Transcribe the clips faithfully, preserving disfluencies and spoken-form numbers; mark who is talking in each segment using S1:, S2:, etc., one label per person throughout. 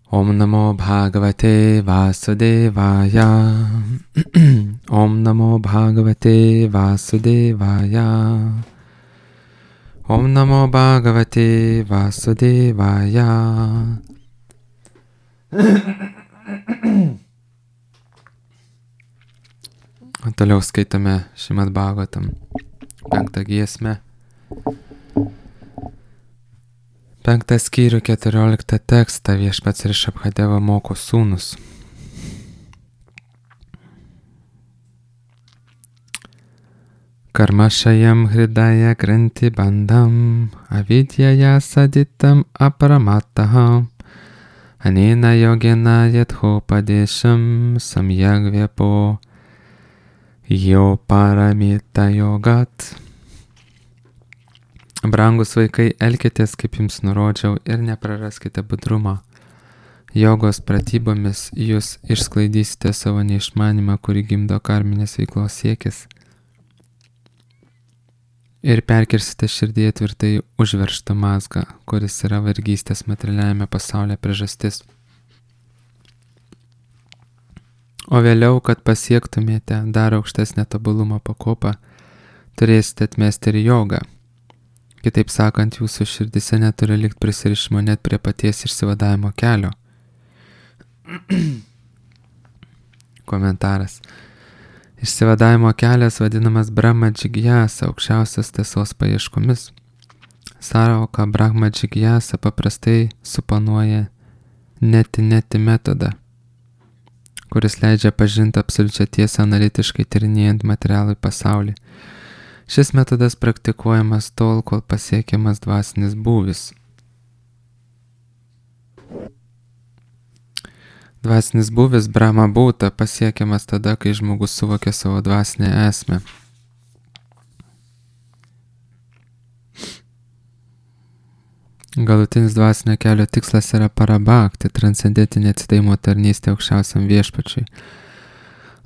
S1: Om Namo Bhagavate Vasudevaya. Om Namo Bhagavate Vasudevaya. Om Namo Bhagavate Vasudevaya. Toliau skaitame Šrimad Bhagavatam penktą giesmę. Penktą skyrių keturioliktą tekstą viešpats Rišabhadeva moko sūnus. Karmašajam hridaya granti bandam avidyaja saditam apramataha anena yogena yathopadesham samyagvyapo jo paramita yogat. Brangus vaikai, elkitės, kaip jums nurodžiau, ir nepraraskite budrumo. Jogos pratybomis jūs išsklaidysite savo neišmanimą, kurį gimdo karminės veiklos siekis, ir perkirsite širdyje tvirtai užveržtą mazgą, kuris yra vergystės materialiajame pasaulyje priežastis. O vėliau, kad pasiektumėte dar aukštesnę tobulumo pakopą, turėsite atmesti ir jogą. Kitaip sakant, jūsų širdise neturi likti prisirišimo net prie paties išsivadavimo kelio. Komentaras. Išsivadavimo kelias vadinamas Brahma Džigyasa, aukščiausios tiesos paieškomis. Sąvoka Brahma Džigyasa paprastai suponuoja neti-neti metodą, kuris leidžia pažinti absoliučią tiesą analitiškai tyrinėjant materialų pasaulį. Šis metodas praktikuojamas tol, kol pasiekiamas dvasinis būvis. Dvasinis būvis Brahma būta pasiekiamas tada, kai žmogus suvokia savo dvasinę esmę. Galutinis dvasinio kelio tikslas yra parabhakti, transcendentinė atsidavimo tarnystė aukščiausiam viešpačiui.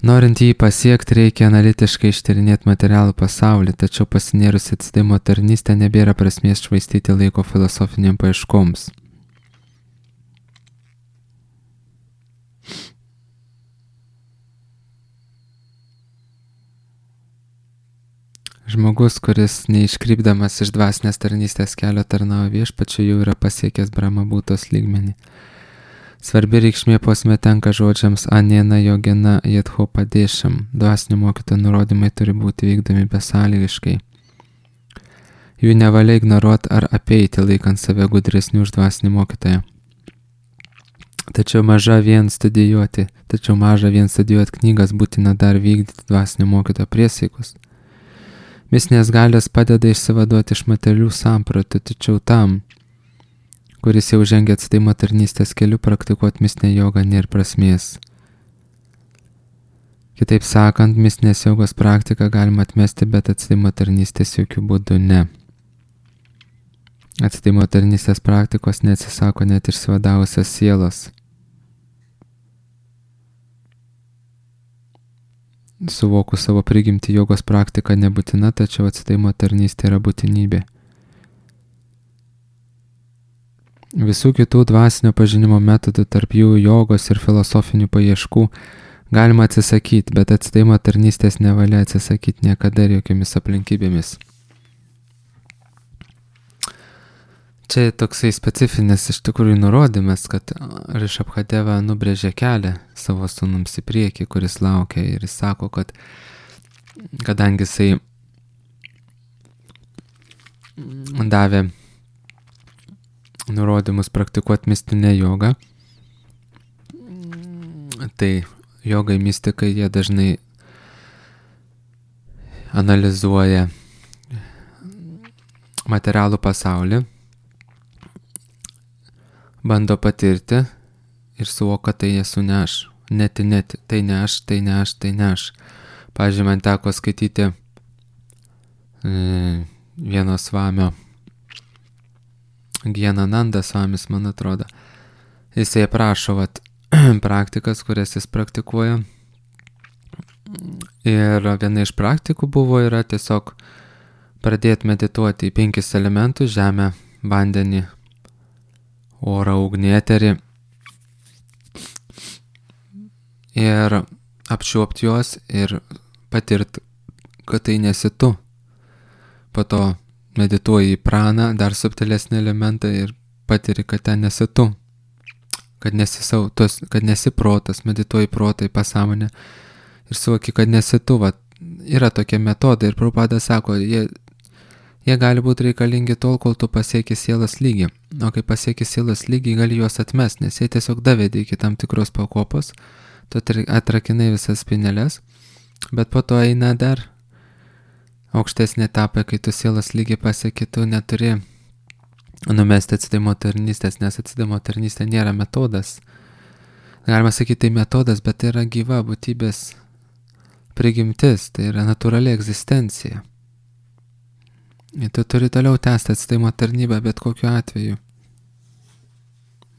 S1: Norint jį pasiekti, reikia analitiškai ištyrinėti materialų pasaulį, tačiau pasinėrus atsidavimo tarnystę nebėra prasmės švaistyti laiko filosofiniam paieškoms. Žmogus, kuris neiškrypdamas iš dvasinės tarnystės kelio tarnauja viešpačiui, jau yra pasiekęs Brahma būtos lygmenį. Svarbi reikšmė posme tenka žodžiams anena yogena yathopadesham. Dvasinio mokytojo nurodymai turi būti vykdomi besąlygiškai. Jų nevalia ignoruoti ar apeiti, laikant save gudresnių už dvasinį mokytoją. Tačiau maža vien studijuoti, tačiau maža vien studijuoti knygas, būtina dar vykdyti dvasinio mokytojo priesaikus. Mistinės galios padeda išsivaduoti iš materialių sampratų, tačiau tam, kuris jau žengia atsidavimo tarnystės keliu, praktikuoti mistinę jogą nėra prasmės. Kitaip sakant, mistinės jogos praktiką galima atmesti, bet atsidavimo tarnystės jokių būdų ne. Atsidavimo tarnystės praktikos neatsisako net išsivadavusios sielos. Suvokus savo prigimtį, jogos praktika nebūtina, tačiau atsidavimo tarnystė yra būtinybė. Visų kitų dvasinio pažinimo metodų, tarp jų jogos ir filosofinių paieškų, galima atsisakyti, bet atsidavimo tarnystės nevalia atsisakyti niekada ir jokiamis aplinkybėmis. Čia toksai specifinis iš tikrųjų nurodymas, kad Rišabhadeva nubrėžė kelią savo sūnums į priekį, kuris laukia, ir jis sako, kad kadangi jisai davė nurodymus praktikuoti mistinę jogą, tai jogai mistikai jie dažnai analizuoja materialų pasaulį, bando patirti ir suvoka, tai esu ne aš, neti neti, tai ne aš, tai ne aš, tai ne aš. Pavyzdžiui, man teko skaityti e, vieno svamio, Gyanananda svamis, man atrodo. Jisai aprašo vat, praktikas, kurias jis praktikuoja. Ir viena iš praktikų buvo yra tiesiog pradėti medituoti į penkis elementus: žemę, vandenį, orą, ugnį, eterį ir apčiuopti juos ir patirti, kad tai nesi tu. Po to medituoji į praną, dar subtilesnį elementą ir patiri, kad ten nesi tu. Kad nesi, sau, tos, kad nesi protas, medituoji protą į pasąmonę ir suvoki, kad nesi tu. Va, yra tokie metodai ir Prabhupada sako, jie, jie gali būti reikalingi tol, kol tu pasieki sielos lygį. O kai pasieki sielos lygį, gali juos atmesti, nes jie tiesiog davedė iki tam tikros pakopos, tu atrakinai visas spinelės, bet po to eina dar aukštesnė etapa, kai tu sielos lygį pasieki, tu neturi numesti atsidavimo tarnystės, nes atsidavimo tarnystė nėra metodas. Galima sakyti, tai metodas, bet tai yra gyva būtybės prigimtis, tai yra natūrali egzistencija. Ir tu turi toliau tęsti atsidavimo tarnybą, bet kokiu atveju.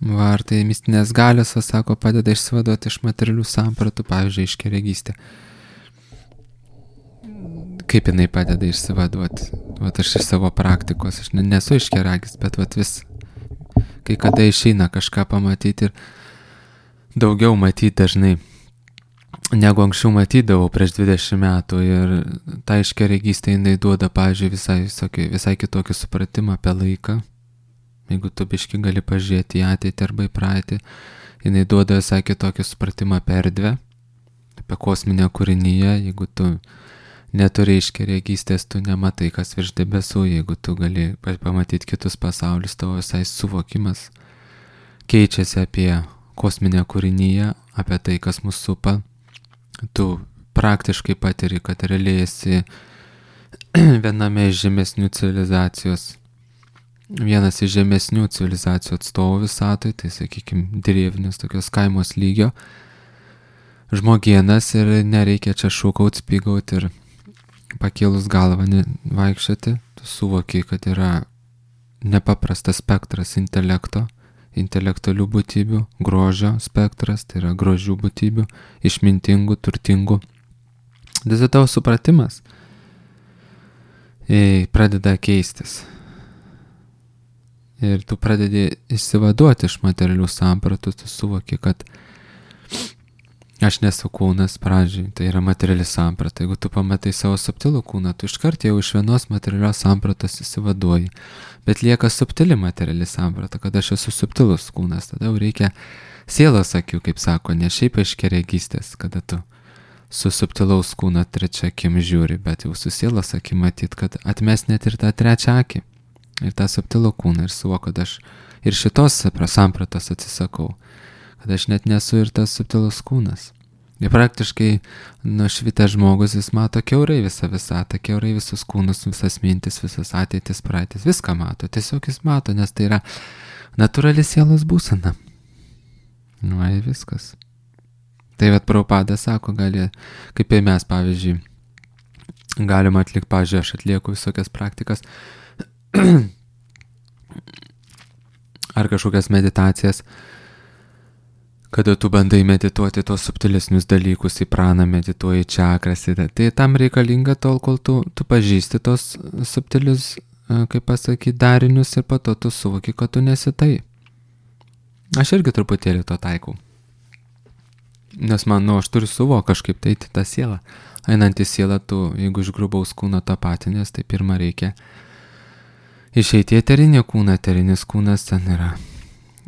S1: Va, ar tai mistinės galios, o sako, padeda išsivaduoti iš materialių sampratų, pavyzdžiui, iškeregystė. Kaip jinai padeda išsivaduoti? Vat aš iš savo praktikos, aš nesu iškeragis, bet vat vis, kai kada išeina kažką pamatyti ir daugiau matyti dažnai, negu anksčiau matydavau prieš dvidešimt metų, ir ta iškeregystė jinai duoda, pavyzdžiui, visai, visai, visai kitokį supratimą apie laiką. Jeigu tu biški gali pažiūrėti į ateitį arba į praeitį, jinai duoda visai kitokį supratimą apie erdvę, apie kosminę kūrinyje. Jeigu tu neturi iškeregystės, tu nematai, kas virš debesų. Jeigu tu gali pamatyti kitus pasaulius, tavo visai suvokimas keičiasi apie kosminę kūrinyje, apie tai, kas mus supa. Tu praktiškai patiri, kad realiai esi viename iš žemesnių civilizacijos, vienas iš žemesnių civilizacijų atstovų visatoj, tai sakykime, drėvnis, tokios kaimos lygio žmogienas, ir nereikia čia šūkaut, spygaut ir pakėlus galvą vaikščioti. Tu suvoki, kad yra nepaprastas spektras intelekto, intelektualių būtybių, grožio spektras, tai yra grožių būtybių, išmintingų, turtingų. Dėl tavo supratimas pradeda keistis. Ir tu pradedi išsivaduoti iš materialių sampratų, tu suvoki, kad aš nesu kūnas pradžiai, tai yra materiali samprata. Jeigu tu pamatai savo subtilų kūną, tu iškart jau iš vienos materialios sampratos įsivaduoji. Bet lieka subtili materiali samprata, kad aš esu subtilus kūnas. Tada jau reikia sielos akių, kaip sako, ne šiaip aiškiaregystės, kada tu su subtilaus kūno trečia akim žiūri, bet jau su sielos akim matyt, kad atmes net ir tą trečią akį. Ir tą subtilų kūną ir suvo, kad aš ir šitos sampratos atsisakau. Kad aš net nesu ir tas subtilus kūnas. Ir praktiškai nušvitęs žmogus, jis mato kiaurai visą visatą, kiaurai visus kūnus, visas mintis, visas ateitis, praeitis, viską mato. Tiesiog jis mato, nes tai yra natūrali sielos būsena. Nu, ir viskas. Tai vat Prabhupada sako, gali, kaip ir mes, pavyzdžiui, galima atlikti, pavyzdžiui, aš atlieku visokias praktikas, ar kažkokias meditacijas, kada tu bandai medituoti tos subtilesnius dalykus, į praną medituoji, čakras, tai tam reikalinga tol, kol tu, tu pažįsti tos subtilius, kaip pasakyti, darinius, ir po to tu suvoki, kad tu nesi tai. Aš irgi truputėlį to taikau. Nes man, nu, aš turiu suvok kažkaip tai tą sielą. Einant į sielą, tu, jeigu iš grubaus kūno tapatinės, tai pirmą reikia išeiti į eterinį kūną. Eterinis kūnas ten yra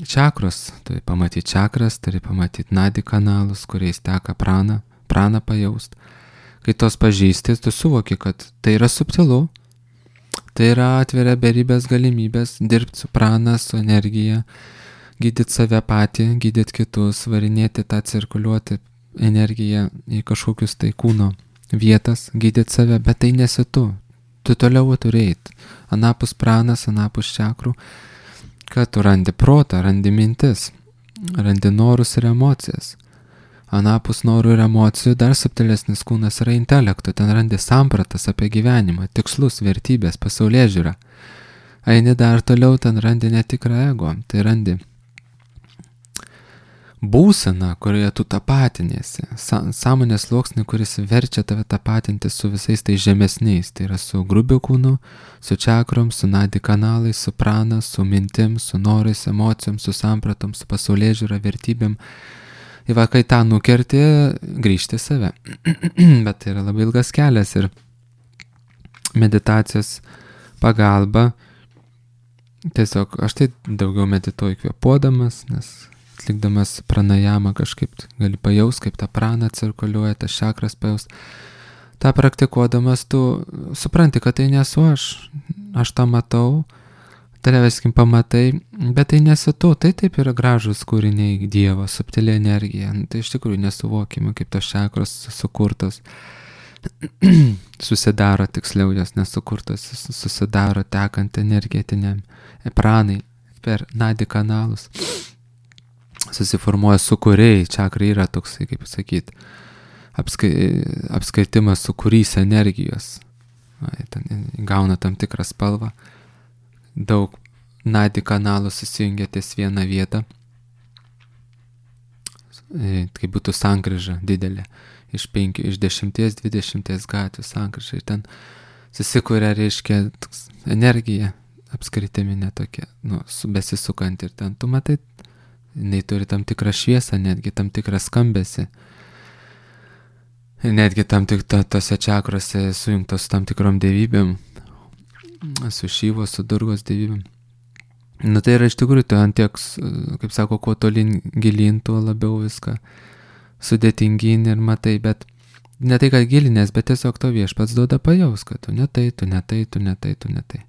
S1: čakros, turi pamatyti čakras, turi pamatyti nadi kanalus, kuriais teka prana, prana pajaust. Kai tos pažįsti, tu suvoki, kad tai yra subtilu, tai yra atveria beribės galimybės dirbti su prana, su energija, gydyti save patį, gydyti kitus, varinėti tą cirkuliuoti energiją į kažkokius tai kūno vietas, gydyti save, bet tai nesi tu. Tu toliau turi eiti. Anapus pranas, anapus čakrų, kad tu randi protą, randi mintis, randi norus ir emocijas. Anapus norų ir emocijų dar subtilesnis kūnas yra intelekto, ten randi sampratas apie gyvenimą, tikslus, vertybės, pasaulėžiūrą. Eini dar toliau, ten randi netikrą ego, tai randi būseną, kurioje tu tapatinėsi, sąmonės sluoksnį, kuris verčia tave tapatinti su visais tai žemesniais, tai yra su grubiu kūnu, su čakrom, su nadi kanalais, su prana, su mintim, su norais, emocijom, su sampratom, su pasaulėžiūra, vertybėm Ir va, kai tą nukerti, grįžti save. Bet tai yra labai ilgas kelias ir meditacijos pagalba. Tiesiog aš tai daugiau medituoju kvėpuodamas, nes atlikdamas pranajamą kažkaip gali pajaus, kaip ta prana cirkuliuoja, tas čakras pajaus. Ta praktikuodamas tu supranti, kad tai nesu aš. Aš tą matau, televeskim pamatai, bet tai nesi tu, tai taip yra gražus kūriniai Dievo, subtili energija. Tai iš tikrųjų nesuvokime, kaip tos čakros sukurtos. Susidaro, tiksliau jos nesukurtos, susidaro tekant energetiniam pranai per nadi kanalus. Susiformuoja sukūriai, čakrai yra toksai, kaip sakyti, apskai, apskaitimas sukūrys energijos. Ten gauna tam tikrą spalvą. Daug nadi kanalų susijungia ties vieną vietą. Tai būtų sankryža didelė. Iš penkių, iš dešimties, dvidešimties gatvių sankryža. Ir ten susikuria, reiškia, energija apskritiminė tokia, nu, besisukant. Ir ten tu matai, jinai turi tam tikrą šviesą, netgi tam tikrą skambesį. Ir netgi tam tik to, tose čakrose sujungtos su tam tikrom dievybėm, su Šyvos, su Durgos dievybėm. Nu tai yra iš tikrųjų, tai ant tiek, kaip sako, kuo tolin gilin, tuo labiau viską sudėtingin ir matai, bet ne tai, kad gilinės, bet tiesiog to Viešpats duoda pajaus, kad tu ne tai, tu ne tai, tu ne tai, tu ne tai.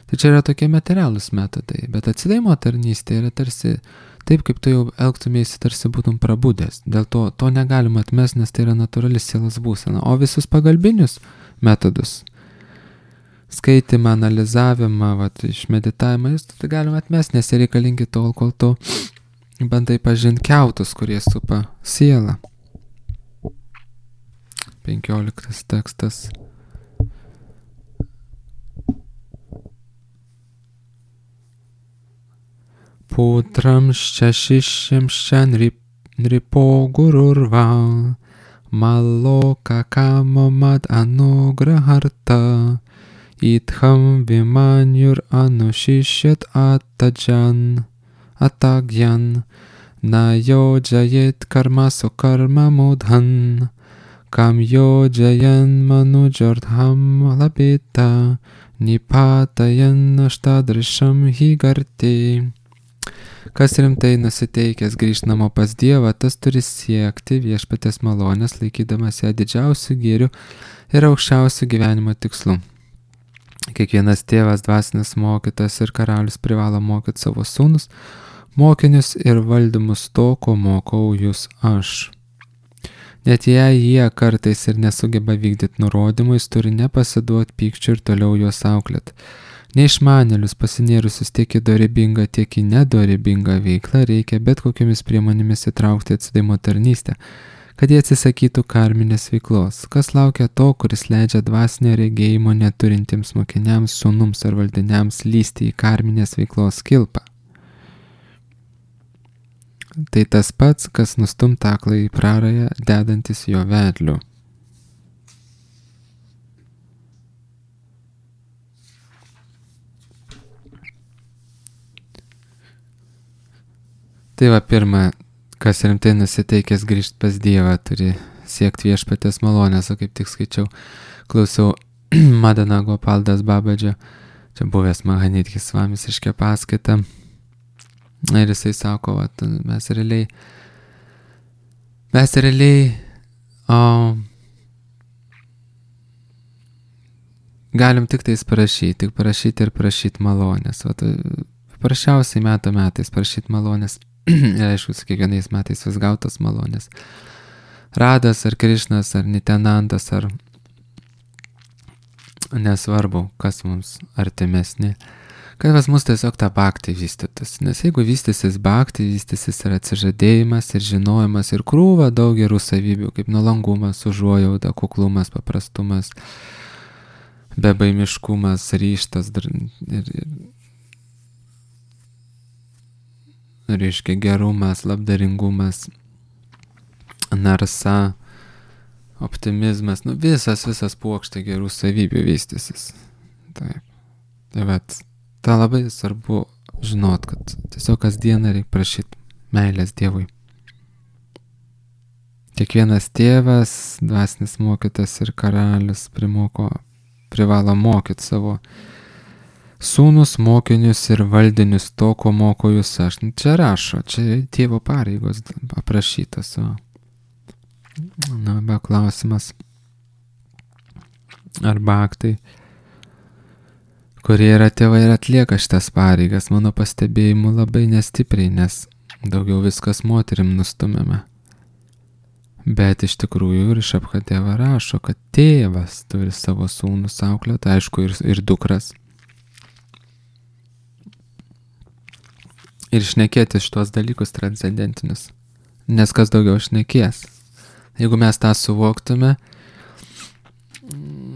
S1: Tai čia yra tokie materialūs metodai, bet atsidavimo tarnystė yra tarsi taip, kaip tu jau elgtumėsi, tarsi būtum prabudęs. Dėl to to negalima atmest, nes tai yra natūrali sielos būsena. O visus pagalbinius metodus, skaitimą, analizavimą, vat, iš meditavimą, jūs tai galima atmest, nes jie reikalingi tol, kol tu bandai pažinti kiautus, kurie supa sielą. Penkioliktas tekstas. Putramščia šišimščia nripo gururva, maloka kamomad anugraharta, idham vimanyur anushishit atadjan, atagyan, na yojayet karma sukarma mudhan, kam yojayan manujardham labita, nipatayan ashtadrisham higarti. Kas rimtai nusiteikęs grįžt namo pas Dievą, tas turi siekti Viešpaties malonės, laikydamas ją didžiausių gėrių ir aukščiausių gyvenimo tikslų. Kiekvienas tėvas, dvasinis mokytas ir karalius privalo mokyti savo sūnus, mokinius ir valdymus to, ko mokau jūs aš. Net jei jie kartais ir nesugeba vykdyti nurodymų, jis turi nepasiduoti pykčiu ir toliau juos auklėti. Neišmanėlius pasinėrusius tiek į dorybingą, tiek į nedorybingą veiklą reikia bet kokiamis priemonėmis įtraukti atsidavimo tarnystę, kad jie atsisakytų karminės veiklos. Kas laukia to, kuris leidžia dvasinio regėjimo neturintiems mokiniams, sūnums ar valdiniams lysti į karminės veiklos kilpą? Tai tas pats, kas nustumta aklą į prarają, dedantis jo vedliu. Tai va, pirma, kas rimtai nusiteikęs grįžti pas Dievą, turi siekti Viešpaties malonės, o kaip tik skaičiau, klausiau Madana Gopaldas Babadžio, čia buvęs Mahanidhis Svamis iškė paskaitą, ir jisai sako, va, mes realiai, mes realiai o, galim tik tais parašyti, tik parašyti ir prašyti malonės. Va, paprasčiausiai metų metais prašyti malonės. Ir aišku, su kiekvienais metais vis gautas malonės. Radas ar Krišnas ar Nitenandas ar nesvarbu, kas mums artimesni. Kad pas mus tiesiog tą bhaktį vystytus. Nes jeigu vystysis bhaktį, vystysis ir atsižadėjimas, ir žinojimas, ir krūva daug gerų savybių, kaip nuolankumas, užuojauta, kuklumas, paprastumas, bebaimiškumas, ryžtas ir, ir reiškia gerumas, labdaringumas, narsa, optimizmas, nu visas, visas puokštė gerų savybių vystysis. Taip. Tai vat, tą labai svarbu žinot, kad tiesiog kasdieną reikia prašyti meilės Dievui. Kiekvienas tėvas, dvasinis mokytas ir karalius primoko, privalo mokyti savo sūnus, mokinius ir valdinius to, ko moko jūs aš. Čia rašo, čia tėvo pareigos aprašytas. O. Na, be klausimas. Arba aktai, kurie yra tėvai ir atlieka šitas pareigas, mano pastebėjimu labai nestipriai, nes daugiau viskas moterim nustumėme. Bet iš tikrųjų ir iš Abhadeva rašo, kad tėvas turi savo sūnus auklėti, aišku, ir, ir dukras. Ir šnekėti šitos dalykus transcendentinius. Nes kas daugiau šnekės. Jeigu mes tą suvoktume,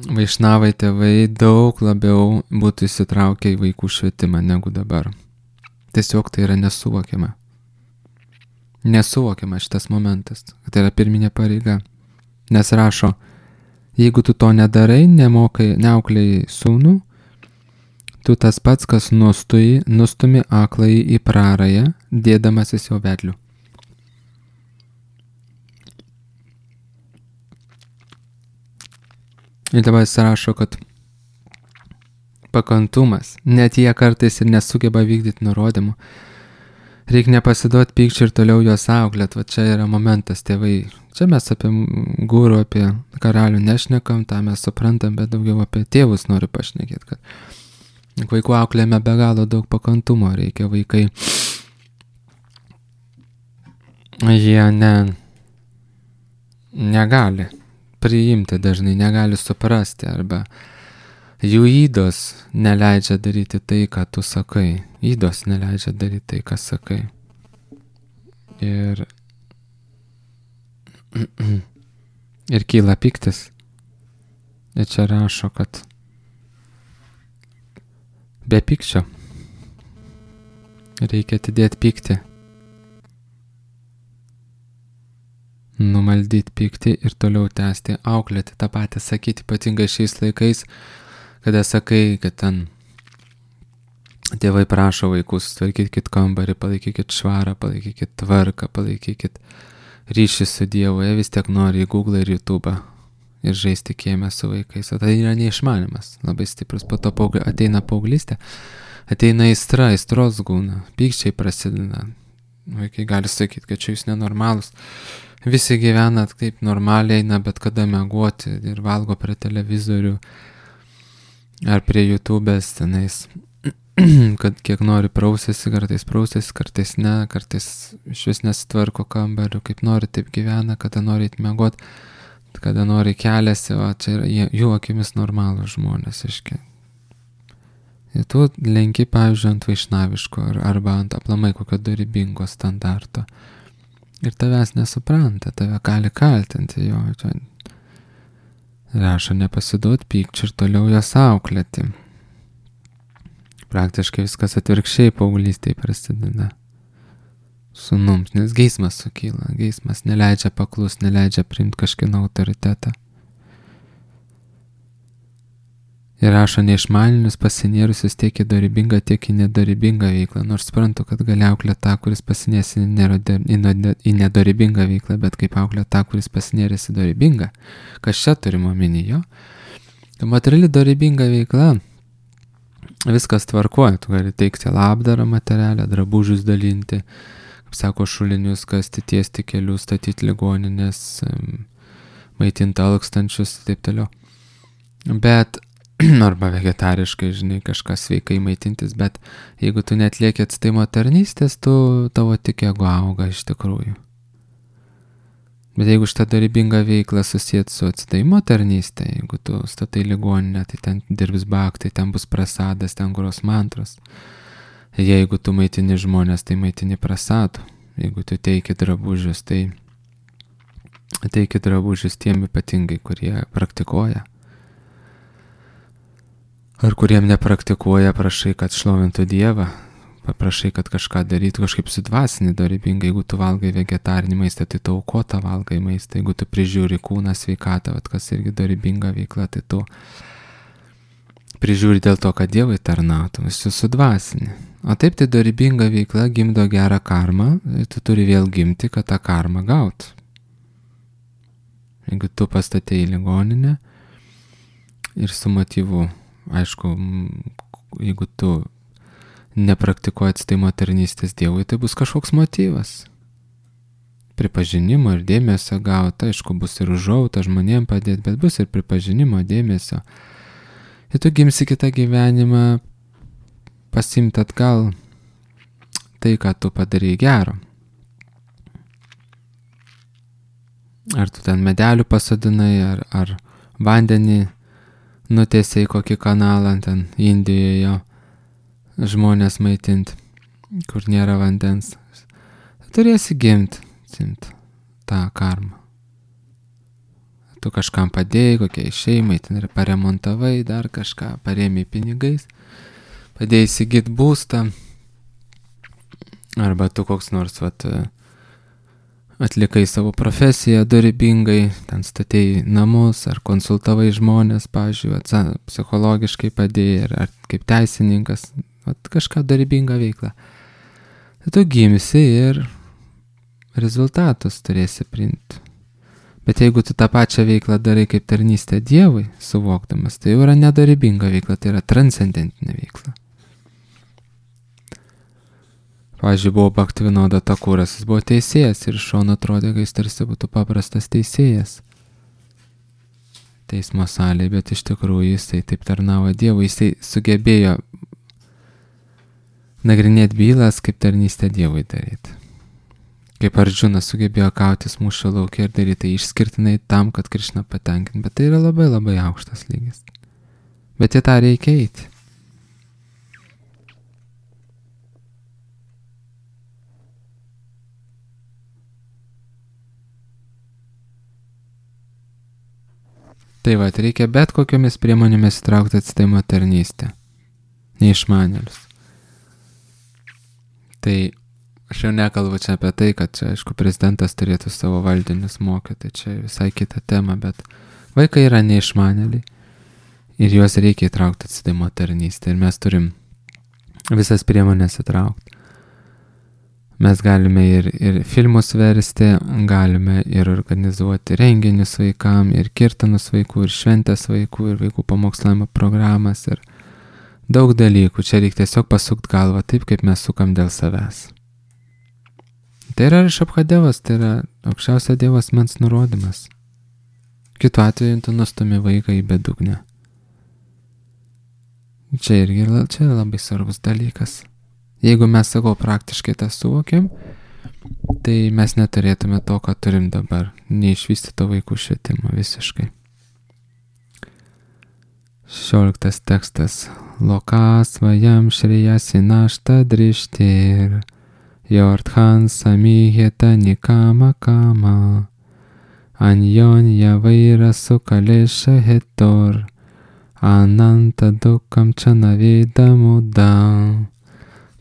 S1: vaišnavai tėvai daug labiau būtų įsitraukę į vaikų švietimą negu dabar. Tiesiog tai yra nesuvokiama. Nesuvokiama šitas momentas, kad tai yra pirminė pareiga. Nes rašo, jeigu tu to nedarai, nemokai, neauklėjai sūnų, tu tas pats, kas nustui, nustumi aklai į prarają, dėdamasis jo vedliu. Ir dabar jis rašo, kad pakantumas, net jie kartais ir nesugeba vykdyti nurodymų, reikia nepasiduoti pykčiui ir toliau juos auklėt. Va čia yra momentas, tėvai. Čia mes apie guru, apie karalių nešnekam, tą mes suprantam, bet daugiau apie tėvus noriu pašnekėti, kad vaikų auklėjame be galo daug pakantumo reikia. Vaikai, jie ne, negali priimti dažnai, negali suprasti, arba jų įdos neleidžia daryti tai, ką tu sakai. Įdos neleidžia daryti tai, ką sakai. Ir, ir kyla piktis. Ir čia rašo, kad be pykčio reikia atidėti pyktį. Numaldyti pyktį ir toliau tęsti, auklėti tą patį, sakyti ypatingai šiais laikais, kada sakai, kad ten tėvai prašo vaikus, tvarkykit kambarį, palaikykit švarą, palaikykit tvarką, palaikykit ryšį su Dievu, jie vis tiek nori į Google ir YouTube ir žaisti kieme su vaikais. O tai yra neišmanimas, labai stiprus. Po to ateina paauglystė, ateina aistra, aistros gūna, pykčiai prasideda. Vaikai gali sakyti, kad čia jūs nenormalus. Visi gyvena taip normaliai, eina bet kada miegoti ir valgo prie televizorių ar prie YouTube'ės tenais, kad kiek nori prausėsi, kartais prausėsi, kartais ne, kartais iš vis nesitvarko kambarių, kaip nori taip gyvena, kada nori eit miegoti, kada nori keliasi, o čia yra jų akimis normalūs žmonės, iški. Ir tu lenki, pavyzdžiui, ant vaišnaviško arba ant aplamai kokio dorybingo standarto. Ir tavęs nesupranta, tave gali kaltinti jo. Čia rašo nepasiduot pykčių ir toliau jas auklėti. Praktiškai viskas atvirkščiai paauglystėje prasideda. Sūnums, nes geismas sukyla, geismas neleidžia paklus, neleidžia priimti kažkieno autoritetą. Ir rašo neišmaninius pasinėrusius tiek į dorybingą, tiek į nedorybingą veiklą. Nors suprantu, kad gali auklėti tą, kuris pasinės į, į nedorybingą veiklą, bet kaip auklėti tą, kuris pasinėrės į dorybingą. Kas čia turime omenyje? Materiali dorybinga veikla, viskas tvarkoja, tu gali teikti labdarą materialę, drabužius dalinti, kaip sako, šulinius kasti, tiesti kelius, statyti ligoninės, maitinti alkstančius ir taip toliau. Bet arba vegetariškai, žinai, kažkas sveikai maitintis, bet jeigu tu netlieki atstaimo tarnystės, tu tavo tik ego auga iš tikrųjų. Bet jeigu šitą dorybingą veiklą susijęti su atstaimo tarnystė, jeigu tu statai ligoninę, tai ten dirbs bhaktai, ten bus prasadas, ten gros mantros. Jeigu tu maitini žmonės, tai maitini prasadu. Jeigu tu teiki drabužius, tai teiki drabužius tiem ypatingai, kurie praktikuoja. Ar kuriem nepraktikuoja, prašai, kad šlovintų Dievą, paprašai, kad kažką darytų, kažkaip sudvasinį dorybingai. Jeigu tu valgai vegetarinį maistą, tai tu aukotą valgai maistą. Jeigu tu prižiūri kūną, sveikatą, vat, kas irgi dorybinga veikla, tai tu prižiūri dėl to, kad Dievui tarnautum, esi sudvasinį. O taip tai dorybinga veikla gimdo gerą karmą, tu turi vėl gimti, kad tą karmą gaut. Jeigu tu pastatei į ligoninę ir su motyvu, aišku, jeigu tu nepraktikuoji atsidaimo tarnystės Dievui, tai bus kažkoks motyvas. Pripažinimo ir dėmesio gauti, aišku, bus ir užuojauta žmonėm padėti, bet bus ir pripažinimo, dėmesio. Ir tu gimsi kitą gyvenimą pasimti atgal tai, ką tu padarei gero. Ar tu ten medelių pasodinai, ar, ar vandenį nutiesiai kokį kanalą ten Indijoje žmonės maitinti, kur nėra vandens. Turėsi gimti, simti tą karmą. Tu kažkam padėjai, kokiai šeimai, ten ir paremontavai, dar kažką, parėmei pinigais, padėjai įsigyti būstą, arba tu koks nors vat, atlikai savo profesiją dorybingai, ten statėjai namus, ar konsultavai žmonės, pavyzdžiui, vat, psichologiškai padėjai, ar, ar kaip teisininkas, vat, kažką dorybingą veiklą. Tai tu gimsi ir rezultatus turėsi priimti. Bet jeigu tu tą pačią veiklą darai kaip tarnystę Dievui, suvokdamas, tai jau yra nedorybinga veikla, tai yra transcendentinė veikla. Pavyzdžiui, buvo Bhaktivinoda Thakuras, jis buvo teisėjas ir iš šono atrodė, kad jis tarsi būtų paprastas teisėjas teismo salėje, bet iš tikrųjų jisai taip tarnavo Dievui, jisai sugebėjo nagrinėti bylas, kaip tarnystę Dievui daryti. Kaip Arjuna sugebėjo kautis mūšio lauke ir daryti tai išskirtinai tam, kad Krišną patenkinti. Bet tai yra labai labai aukštas lygis. Bet į tą reikia eiti. Tai va, reikia bet kokiomis priemonėmis įtraukti atsidaimo tarnystę. Neišmanėlius. Tai aš jau nekalbu čia apie tai, kad čia, aišku, prezidentas turėtų savo valdinius mokyti, čia visai kita tema, bet vaikai yra neišmanėliai ir juos reikia įtraukti atsidaimo tarnystę ir mes turim visas priemonės įtraukti. Mes galime ir, ir filmus versti, galime ir organizuoti renginius vaikam, ir kirtanus vaikų, ir šventės vaikų, ir vaikų pamokslavimo programas, ir daug dalykų. Čia reikia tiesiog pasukti galvą taip, kaip mes sukam dėl savęs. Tai yra Rišabhadevas, tai yra aukščiausio Dievo asmens nurodymas. Kitu atveju tu nustumi vaiką į bedugnę. Čia irgi čia yra labai svarbus dalykas. Jeigu mes savo praktiškai tą suvokiam, tai mes neturėtume to, ką turim dabar, neišvystyto vaikų švietimo visiškai. Šešioliktas tekstas. Lokas vajam šrejasi našta drishtir, yorthan samiheta nikama kama, anjon javaira sukalesha hetor, ananta dukam čanavida muda.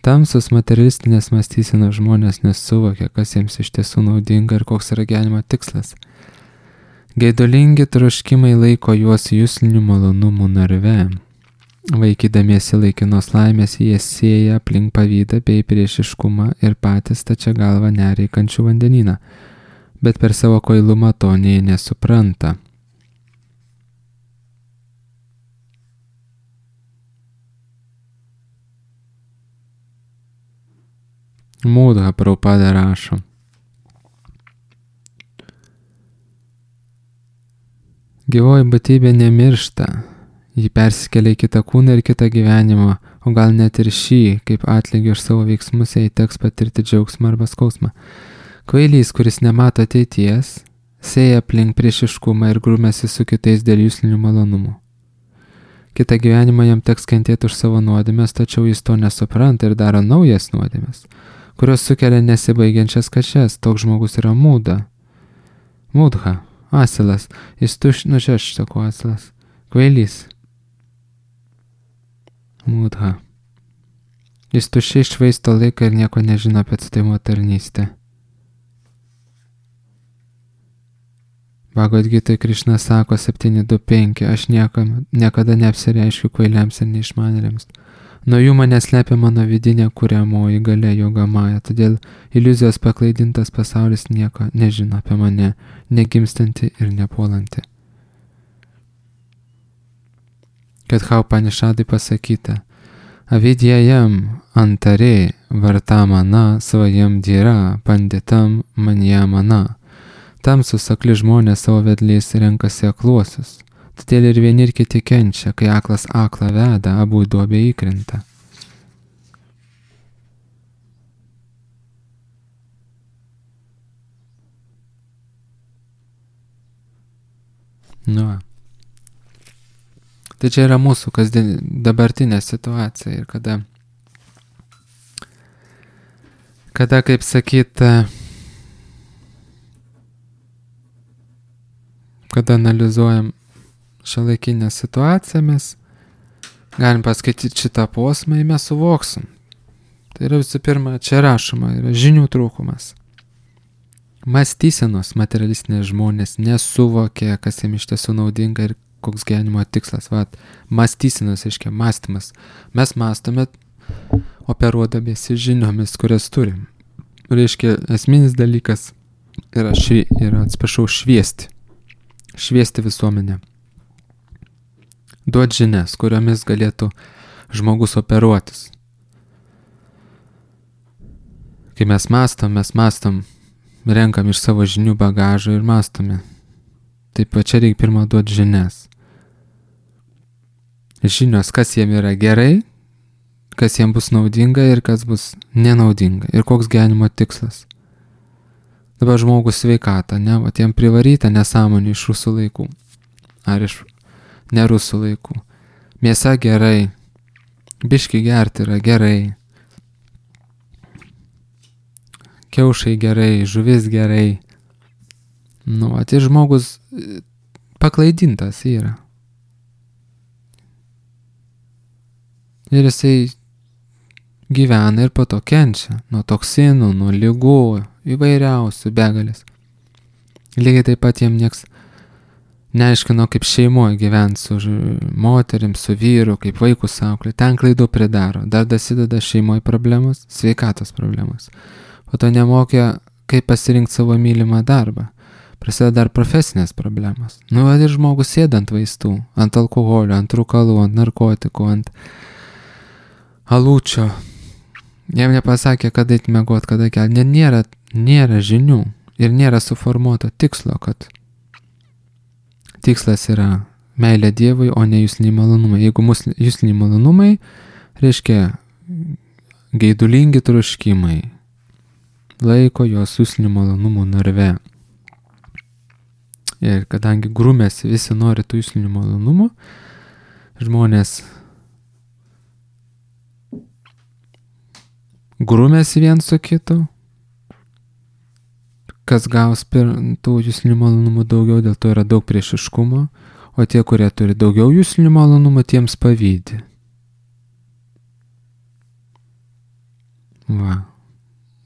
S1: Tamsus materialistinės mąstysenos žmonės nesuvokia, kas jiems iš tiesų naudinga ir koks yra gyvenimo tikslas. Geidulingi troškimai laiko juos juslinių malonumų narve. Vaikydamiesi laikinos laimės jie sėja aplink pavydą bei priešiškumą ir patys stačia galva neria į kančių vandenyną, bet per savo kvailumą to nė nesupranta. Mūdha Prabhupada rašo. Gyvoji būtybė nemiršta, ji persikelia į kitą kūną ir kitą gyvenimą, o gal net ir šį, kaip atlygį už savo veiksmus, jai teks patirti džiaugsmą arba skausmą. Kvailys, kuris nemato ateities, sėja aplink priešiškumą ir grūmėsi su kitais dėl juslinių malonumų. Kitą gyvenimą jam teks kentėti už savo nuodėmes, tačiau jis to nesupranta ir daro naujas nuodėmes, kurios sukelia nesibaigiančias kančias. Toks žmogus yra mūda. Mūdha, asilas, jis tuš, nu čia aš sakau asilas, kvailys. Mūdha. Jis tuščiai švaisto laiką ir nieko nežino apie atsidaimo tarnystę. Bhagavad Gitoj Krišna sako septyni du penki, aš niekam, niekada neapsireiškiu kvailiams ir neišmanėliams. Nuo jų mane slepia mano vidinė kuriamoji galia Jogamaya, todėl iliuzijos paklaidintas pasaulis nieko nežino apie mane, negimstanti ir nepuolanti. Kad Upanishadai pasakyta, avidyajam antare vartamana svajam dhyra panditam manjamana. Tamsus akli žmonės savo vedliais renkasi akluosius. Todėl ir vieni ir kiti kenčia, kai aklas aklą veda, abu į duobę įkrenta. Nu. Tai čia yra mūsų kasdien dabartinė situacija ir kada, kada kaip sakyt, kada analizuojam šiuolaikinę situaciją, mes galim paskaityti šitą posmą ir mes suvoksim. Tai yra visų pirma, čia rašoma, yra žinių trūkumas. Mąstysenos materialistinės žmonės nesuvokė, kas jiems iš tiesų naudinga ir koks gyvenimo tikslas. Vat, mąstysenos, reiškia, mąstymas. Mes mąstome operuodamiesi žiniomis, kurias turim. Reiškia, esminis dalykas yra, švi, yra atsiprašau, šviesti. Šviesti visuomenę. Duot žinias, kuriomis galėtų žmogus operuotis. Kai mes mąstom, mes mąstom, renkam iš savo žinių bagažo ir mąstome. Taip pat čia reikia pirmą duoti žinias. Žinios, kas jiem yra gerai, kas jiem bus naudinga ir kas bus nenaudinga. Ir koks gyvenimo tikslas. Dabar žmogus sveikata, ne, o tiem privaryta nesąmonė iš rusų laikų. Ar iš ne rusų laikų. Mėsa gerai, biški gerti yra gerai, kiaušai gerai, žuvis gerai. Nu, tai žmogus paklaidintas yra. Ir jisai gyvena ir po to kenčia nuo toksinų, nuo ligų, įvairiausių begalės. Lygiai taip pat jiem nieks neaiškino, kaip šeimoje gyventi su moterim, su vyru, kaip vaikus auklė. Ten klaidų pridaro. Dar dasideda šeimoje problemos, sveikatos problemos. Po to nemokė, kaip pasirinkti savo mylimą darbą. Prasideda dar profesinės problemos. Nu, ir žmogus sėda ant vaistų, ant alkoholio, ant rūkalų, ant narkotikų, ant alūčio. Jam nepasakė, kada eit miegot, kada kelti. Nėra, nėra žinių ir nėra suformuoto tikslo, kad tikslas yra meilė Dievui, o ne jusliniai malonumai. Jeigu jusliniai malonumai, reiškia geidulingi troškimai, laiko jos juslinių malonumų narve. Ir kadangi grumėsi visi nori tų juslinių malonumų, žmonės grumėsi vien su kitu, kas gaus per tų juslinių malonumų daugiau, dėl to yra daug priešiškumo, o tie, kurie turi daugiau juslinių malonumų, tiems pavydi. Va.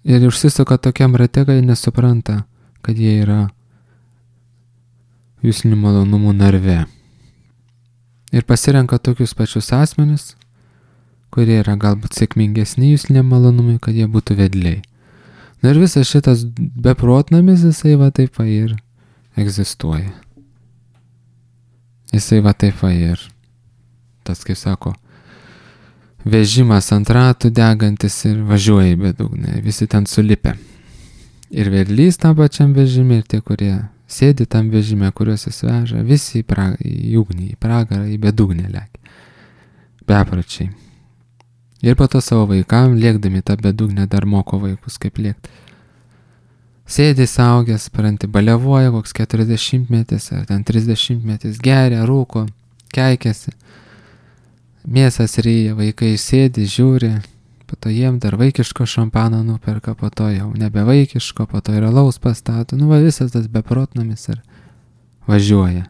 S1: Ir užsisuka tokiam rate, kad jie nesupranta, kad jie yra juslinių malonumų narve. Ir pasirenka tokius pačius asmenis, kurie yra galbūt sėkmingesni jusliniam malonumui, kad jie būtų vedliai. Na ir visas šitas beprotnamis, jisai va taip va ir egzistuoja. Jisai va taip va ir tas, kaip sako, vežimas ant ratų degantis ir važiuoja į bedugnę, visi ten sulipę. Ir vedlys tam pačiam vežime, ir tie, kurie sėdi tam vežime, kuriuos jis veža, visi į, pra, į ugnį, į pragarą, į bedugnę lekia. Bepročiai. Ir po to savo vaikam, liekdami tą bedugnę, dar moko vaikus, kaip liekti. Sėdi saugęs, paranti, balevoja, koks keturiasdešimtmetis ar ten trisdešimtmetis, geria, rūko, keikiasi. Mėsas ryja, vaikai sėdi, žiūri, po to jiem dar vaikiško šampano nuperka, po to jau nebe vaikiško, po to ir alaus pastato. Nu va, visas tas beprotnamis ir važiuoja.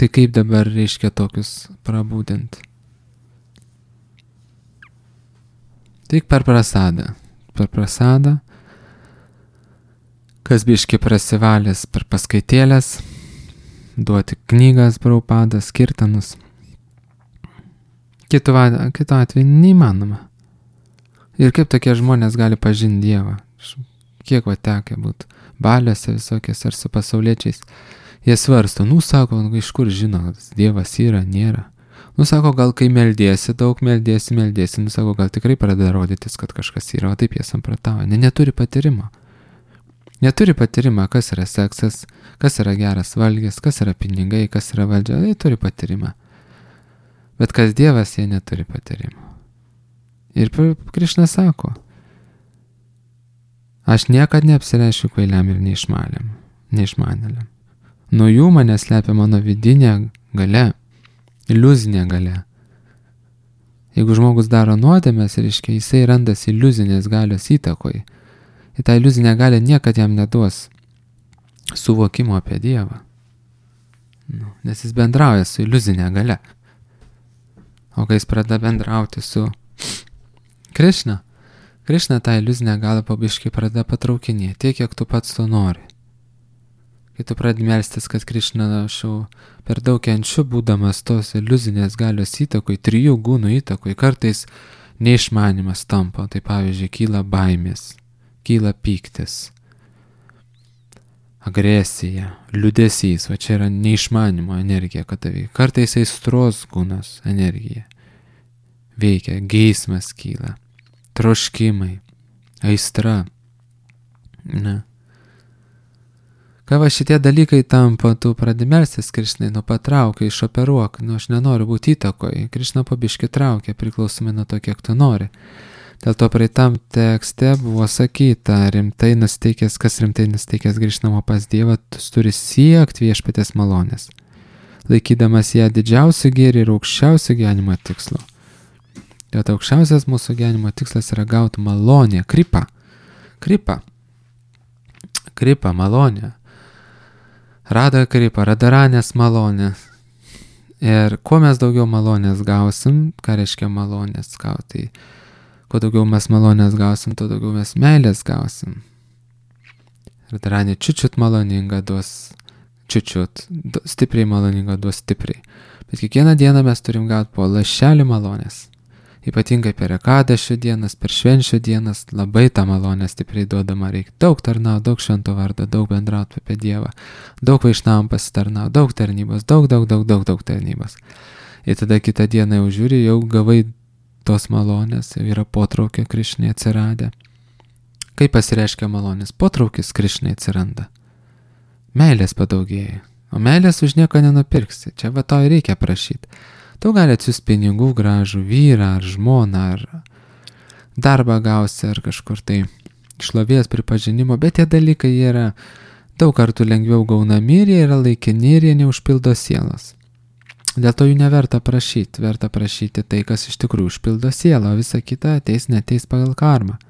S1: Tai kaip dabar reiškia tokius prabūdint? Tik per prasadą. Per prasadą, kas biški prasivalęs per paskaitėlės, duoti knygas Prabhupadas, kirtanus. Kitu, kitu atveju neįmanoma. Ir kaip tokie žmonės gali pažinti Dievą? Kiek va tekia būtų baliuose visokiais ar su pasauliečiais. Jie svarsto, nu sako, iš kur žino, Dievas yra, nėra. Nu sako, gal kai meldiesi, daug meldiesi, meldiesi, nu sako, gal tikrai pradeda rodytis, kad kažkas yra, o taip jie samprotauja. Ne, neturi patyrimo. Neturi patyrimo, kas yra seksas, kas yra geras valgis, kas yra pinigai, kas yra valdžia, jie turi patyrimą. Bet kas Dievas, jie neturi patyrimo. Ir Krišna sako, aš niekad neapsireiškiu kvailiam ir neišmaniam, neišmanėliam. Nuo jų mane slepia mano vidinė galia, iliuzinė galia. Jeigu žmogus daro nuodėmes, reiškia, jisai randasi iliuzinės galios įtakoj. Ir tą iliuzinę galią niekad jam neduos suvokimo apie Dievą. Nu, nes jis bendrauja su iliuzinė galia. O kai jis pradeda bendrauti su Krišna, Krišna tą iliuzinę galą pabiškai pradeda patraukinėti, tiek, kiek tu pats to nori. Kai tu pradedi melstis, kad Krišna aš jau per daug kenčiu, būdamas tos iliuzinės galios įtakoj, trijų gūnų įtakoj, kartais neišmanimas tampa, tai pavyzdžiui, kyla baimės, kyla pyktis, agresija, liūdesys, va čia yra neišmanimo energija, kad tavai. Kartais aistros gūnos energija veikia, geismas kyla, troškimai, aistra. Ne. Kai va šitie dalykai tampa, tu pradedi melstis Krišnai, nu patraukia, išoperuok, nu aš nenoriu būti įtakoj, Krišna pabiški traukia, priklausomai nuo to, kiek tu nori. Dėl to praeitam tekste buvo sakyta, rimtai nusteikęs, kas rimtai nusteikęs grįžtamo pas Dievą, tu turi siekti viešpatės malonės, laikydamas ją didžiausių gėrį ir aukščiausių gyvenimo tikslo. Dėl to aukščiausias mūsų gyvenimo tikslas yra gauti malonę, kripą, kripą, kripą, malonę. Rada kripa, radaranės malonės. Ir kuo mes daugiau malonės gausim, ką reiškia malonės gauti, kuo daugiau mes malonės gausim, tuo daugiau mes meilės gausim. Radaranė čiučiut maloninga duos čiučiut, stipriai maloninga duos stipriai. Bet kiekvieną dieną mes turim gauti po lašelį malonės. Ypatingai per ekadašio dienas, per švenčių dienas, labai tą malonę stipriai duodama reikia. Daug tarnauti, daug švento vardo, daug bendrauti apie Dievą, daug vaišnavam pasitarnauti, daug tarnybos, daug, daug, daug, daug, daug tarnybos. Ir tada kitą dieną jau žiūri, jau gavai tos malonės, jau yra potraukio Krišnai atsiradę. Kaip pasireiškia malonės? Potraukis Krišnai atsiranda. Meilės padaugėja. O meilės už nieko nenupirksi. Čia va to ir reikia prašyti. Tu gali atsiųsti pinigų gražų vyrą ar žmoną, ar darbą gausi, ar kažkur tai šlovės pripažinimo, bet tie dalykai yra daug kartų lengviau gaunami ir jie yra laikini ir jie neužpildo sielos. Dėl to jų neverta prašyti, verta prašyti tai, kas iš tikrųjų užpildo sielą, o visa kita ateis neteis pagal karmą.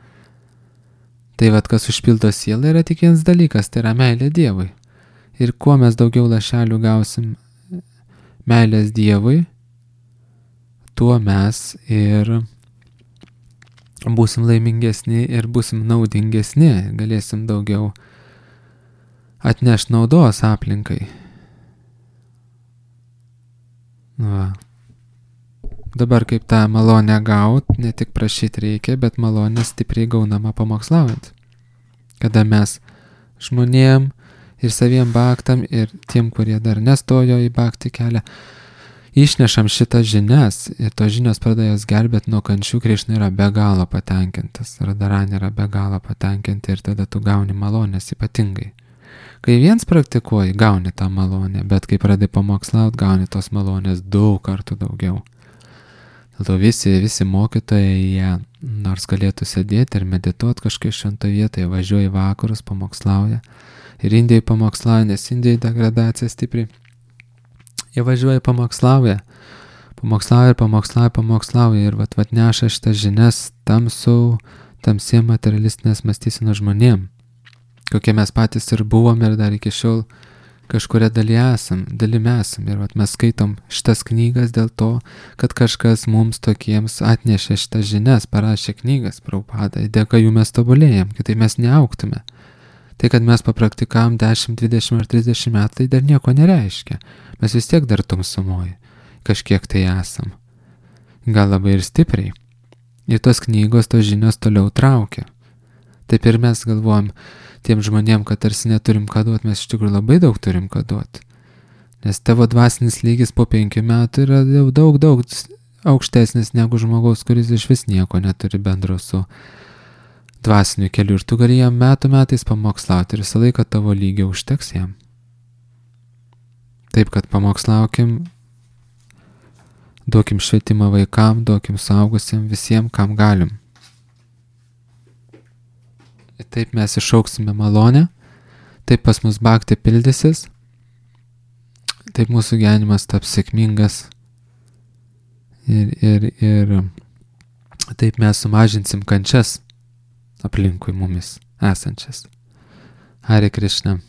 S1: Tai vat, kas užpildo sielą, yra tik vienas dalykas, tai yra meilė Dievui. Ir kuo mes daugiau lašelių gausim meilės Dievui, tuo mes ir būsim laimingesni ir būsim naudingesni, galėsim daugiau atnešti naudos aplinkai. Va. Dabar kaip tą malonę gaut, ne tik prašyti reikia, bet malonę stipriai gaunama pamokslaujant. Kada mes žmonėm ir saviem baktam ir tiem, kurie dar nestojo į bakti kelią, išnešam šitas žinias ir tos žinios pradeda jas gelbėti nuo kančių, Krišna yra be galo patenkintas, Radharani yra be galo patenkinti ir tada tu gauni malonės ypatingai. Kai viens praktikuoji, gauni tą malonę, bet kai pradedi pamokslaut, gauni tos malonės daug kartų daugiau. Dėl to visi, visi mokytojai, jie nors galėtų sėdėti ir medituoti kažkaip šventoje vietoje, važiuoja į vakarus, pamokslauja. Ir Indijai pamokslauja, nes Indijai degradacija stipriai. Jie važiuoja pamokslauja, pamokslauja ir pamokslauja, pamokslauja ir vat, vat neša šitas žinias tamsų, tamsiem materialistinės mąstysenos žmonėm, kokie mes patys ir buvom ir dar iki šiol kažkuria daly esam, dalim esam. Ir vat mes skaitom šitas knygas dėl to, kad kažkas mums tokiems atnešė šitas žinias, parašė knygas, Prabhupada, dėka jų mes tobulėjam, kitaip mes neaugtume. Tai, kad mes papraktikavom dešimt, dvidešimt ar trisdešimt metų, tai dar nieko nereiškia. Mes vis tiek dar tamsumoji. Kažkiek tai esam. Gal labai ir stipriai. Ir tos knygos, tos žinios toliau traukia. Taip ir mes galvojam tiem žmonėm, kad tarsi neturim ką duoti, mes iš tikrųjų labai daug turim ką duoti. Nes tavo dvasinis lygis po penkių metų yra jau daug, daug aukštesnis negu žmogaus, kuris iš vis nieko neturi bendro su dvasiniu keliu. Ir tu gali jam metų metais pamokslauti ir visą laiką tavo lygio užteks jam. Taip, kad pamokslaukim, duokim švietimą vaikam, duokim suaugusiem, visiems, kam galim. Ir taip mes išauksime malonę, taip pas mus bhakti pildysis, taip mūsų gyvenimas taps sėkmingas ir, ir, ir taip mes sumažinsim kančias aplinkui mumis esančias. Hare Krishna.